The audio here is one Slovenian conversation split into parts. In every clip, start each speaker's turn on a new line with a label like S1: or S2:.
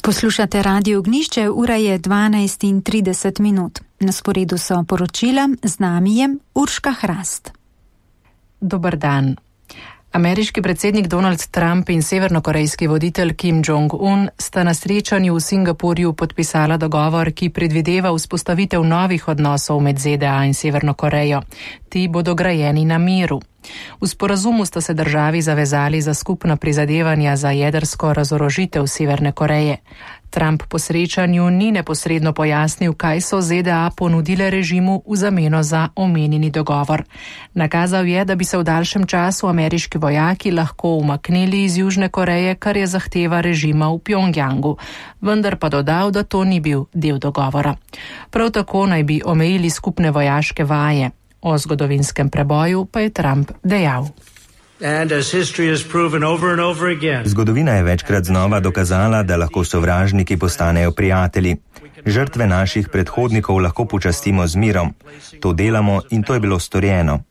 S1: Poslušate Radio Ognjišče, ura je 12:30. Na sporedu so poročila, z nami je Urška Hrast.
S2: Dober dan. Ameriški predsednik Donald Trump in severnokorejski voditelj Kim Jong-un sta na srečanju v Singapurju podpisala dogovor, ki predvideva vzpostavitev novih odnosov med ZDA in Severno Korejo. Ti bodo grajeni na miru. V sporazumu sta se državi zavezali za skupna prizadevanja za jedrsko razorožitev Severne Koreje. Trump po srečanju ni neposredno pojasnil, kaj so ZDA ponudile režimu v zameno za omenjeni dogovor. Nakazal je, da bi se v daljšem času ameriški vojaki lahko umaknili iz Južne Koreje, kar je zahteva režima v Pjongjangu, vendar pa dodal, da to ni bil del dogovora. Prav tako naj bi omejili skupne vojaške vaje. O zgodovinskem preboju pa je Trump dejal.
S3: Zgodovina je večkrat znova dokazala, da lahko sovražniki postanejo prijatelji. Žrtve naših predhodnikov lahko počastimo z mirom. To delamo in to je bilo storjeno.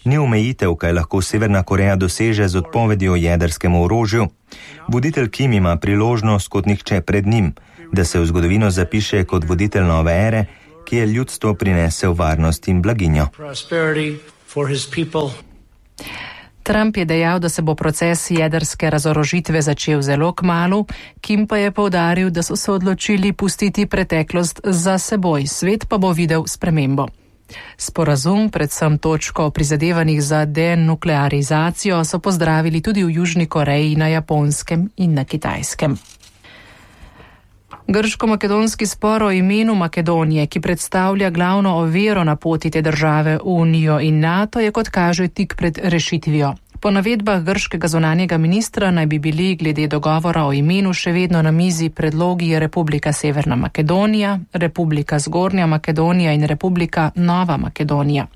S3: Ni omejitev, kaj lahko Severna Koreja doseže z odpovedjo jedrskemu orožju. Voditelj Kim ima priložnost kot nihče pred njim, da se v zgodovino zapiše kot voditelj nove ere, ki je ljudstvo prinesel varnost in blaginjo.
S2: Trump je dejal, da se bo proces jedrske razorožitve začel zelo kmalu, Kim pa je poudaril, da so se odločili pustiti preteklost za seboj, svet pa bo videl spremembo. Sporazum, predvsem točko o prizadevanjih za denuklearizacijo, so pozdravili tudi v Južni Koreji, na Japonskem in na Kitajskem. Grško-makedonski spor o imenu Makedonije, ki predstavlja glavno oviro na poti te države v Unijo in NATO, je kot kaže tik pred rešitvijo. Po navedbah grškega zunanjega ministra naj bi bili glede dogovora o imenu še vedno na mizi predlogi Republika Severna Makedonija, Republika Zgornja Makedonija in Republika Nova Makedonija.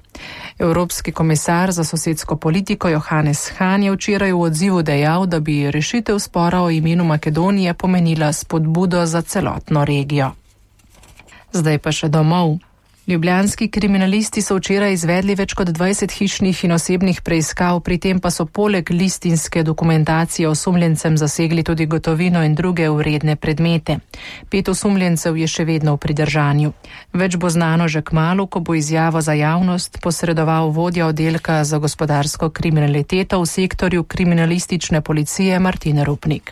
S2: Evropski komisar za sosedsko politiko Johannes Hahn je včeraj v odzivu dejal, da bi rešitev spora o imenu Makedonije pomenila spodbudo za celotno regijo. Zdaj pa še domov. Ljubljanski kriminalisti so včeraj izvedli več kot 20 hišnih in osebnih preiskav, pri tem pa so poleg listinske dokumentacije osumljencem zasegli tudi gotovino in druge vredne predmete. 5 osumljencev je še vedno v pridržanju. Več bo znano že kmalu, ko bo izjavo za javnost posredoval vodja oddelka za gospodarsko kriminaliteto v sektorju kriminalistične policije Martin Rupnik.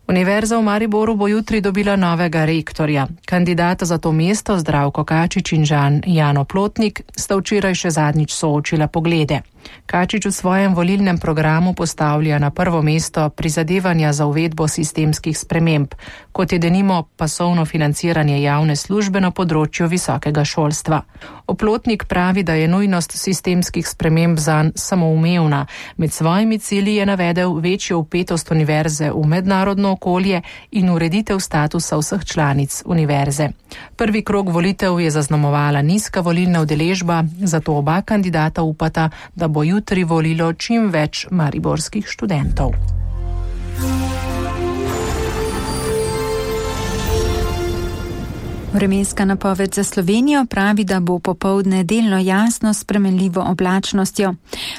S2: Univerza v Mariboru bo jutri dobila novega rektorja. Kandidata za to mesto Zdravko Kačič in Jan Oplotnik sta včeraj še zadnjič soočila poglede. Kačič v svojem volilnem programu postavlja na prvo mesto prizadevanja za uvedbo sistemskih sprememb, kot je denimo pasovno financiranje javne službe na področju visokega šolstva. Oplotnik pravi, da je nujnost sistemskih sprememb zanj samoumevna. Med svojimi cilji je navedel večjo vpetost univerze v mednarodno okolje in ureditev statusa vseh članic univerze. Prvi krog volitev je zaznamovala nizka volilna udeležba, zato oba kandidata upata, da bo jutri volilo čim več mariborskih študentov.
S1: Vremenska napoved za Slovenijo pravi, da bo popoldne delno jasno s spremenljivo oblačnostjo.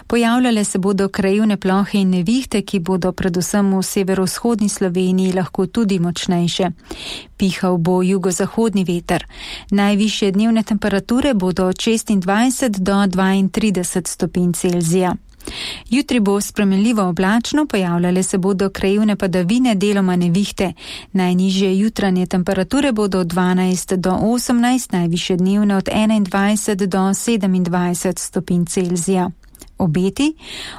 S1: Pojavljale se bodo krajevne plohe in nevihte, ki bodo predvsem v severovzhodni Sloveniji lahko tudi močnejše. Pihal bo jugozahodni veter. Najvišje dnevne temperature bodo od 26 do 32 stopinj Celzija. Jutri bo spremenljivo oblačno, pojavljale se bodo krajevne padavine, deloma nevihte. Najnižje jutranje temperature bodo od 12 do 18, najvišje dnevne od 21 do 27 stopinj Celzija. Obeti.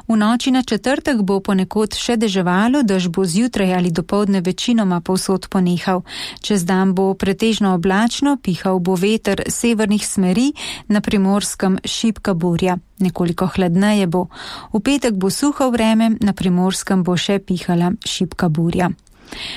S1: V noči na četrtek bo ponekod še deževalo, dež bo zjutraj ali dopoldne večinoma povsod ponehal. Čez dan bo pretežno oblačno, pihal bo veter severnih smeri, na Primorskem šibka burja. Nekoliko hladneje bo. V petek bo suho vreme, na Primorskem bo še pihala šibka burja.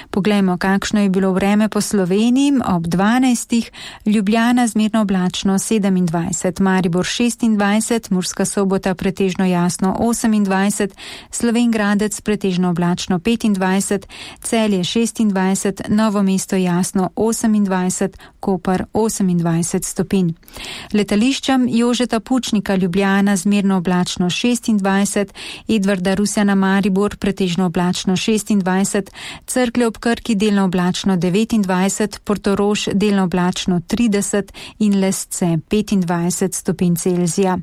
S1: Poglejmo, kakšno je bilo vreme po Sloveniji. Ob 12. Ljubljana zmerno oblačno 27, Maribor 26, Murska Sobota pretežno jasno 28, Slovenj Gradec pretežno oblačno 25, Celje 26, Novo mesto jasno 28, Koper 28 stopinj. Letališčem Jožeta Pučnika Ljubljana zmerno oblačno 26, Edvarda Rusjana Maribor pretežno oblačno 26, Cerklje ob Krki delno oblačno 29, Portorož delno oblačno 30 in Lesce 25 stopinj Celzija.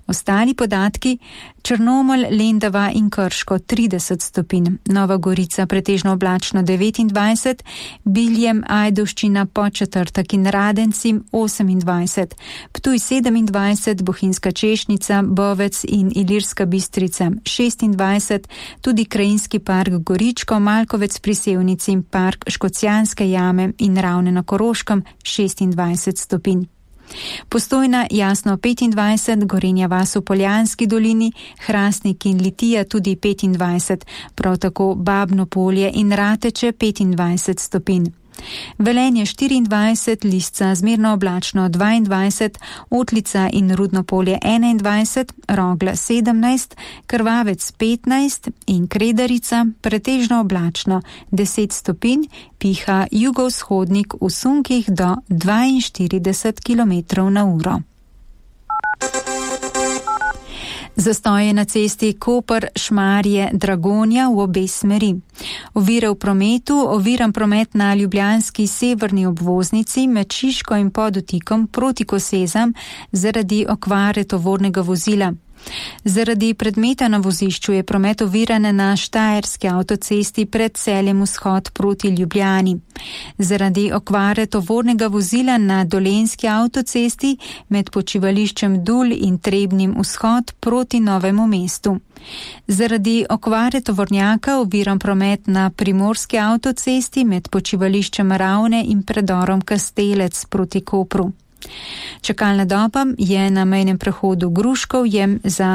S1: Ostali podatki: Črnomelj, Lendava in Krško 30 stopinj, Nova Gorica pretežno oblačno 29, Biljem, Ajdovščina, Podčetrtek in Radenci 28, Ptuj 27, Bohinjska Češnica, Bovec in Ilirska Bistrica 26, tudi Krajinski park Goričko, Malkovec pri Sevnici in park Škocjanske jame in Ravne na Koroškem 26 stopinj. Postojna jasno 25, Gorenja vas v Poljanski dolini, Hrastnik in Litija tudi 25, prav tako Babno Polje in Rateče 25 stopinj. Velenje 24, Lisca zmerno oblačno 22, Otlica in Rudno Polje 21, Rogla 17, Krvavec 15 in Kredarica pretežno oblačno 10 stopinj, piha jugovzhodnik v sunkih do 42 km/h. Zastoje na cesti Koper-Šmarje-Dragonja v obe smeri. Ovire v prometu, oviran promet na ljubljanski severni obvoznici med Šiško in Podotikom proti Kosezam zaradi okvare tovornega vozila. Zaradi predmeta na vozišču je promet oviran na Štajerski avtocesti pred Celjem vzhod proti Ljubljani. Zaradi okvare tovornega vozila na Dolenjski avtocesti med počivališčem Dul in Trebnim vzhod proti Novemu mestu. Zaradi okvare tovornjaka oviran promet na Primorski avtocesti med počivališčem Ravne in predorom Kastelec proti Kopru. Čakalna doba je na mejnem prehodu Gruškovje za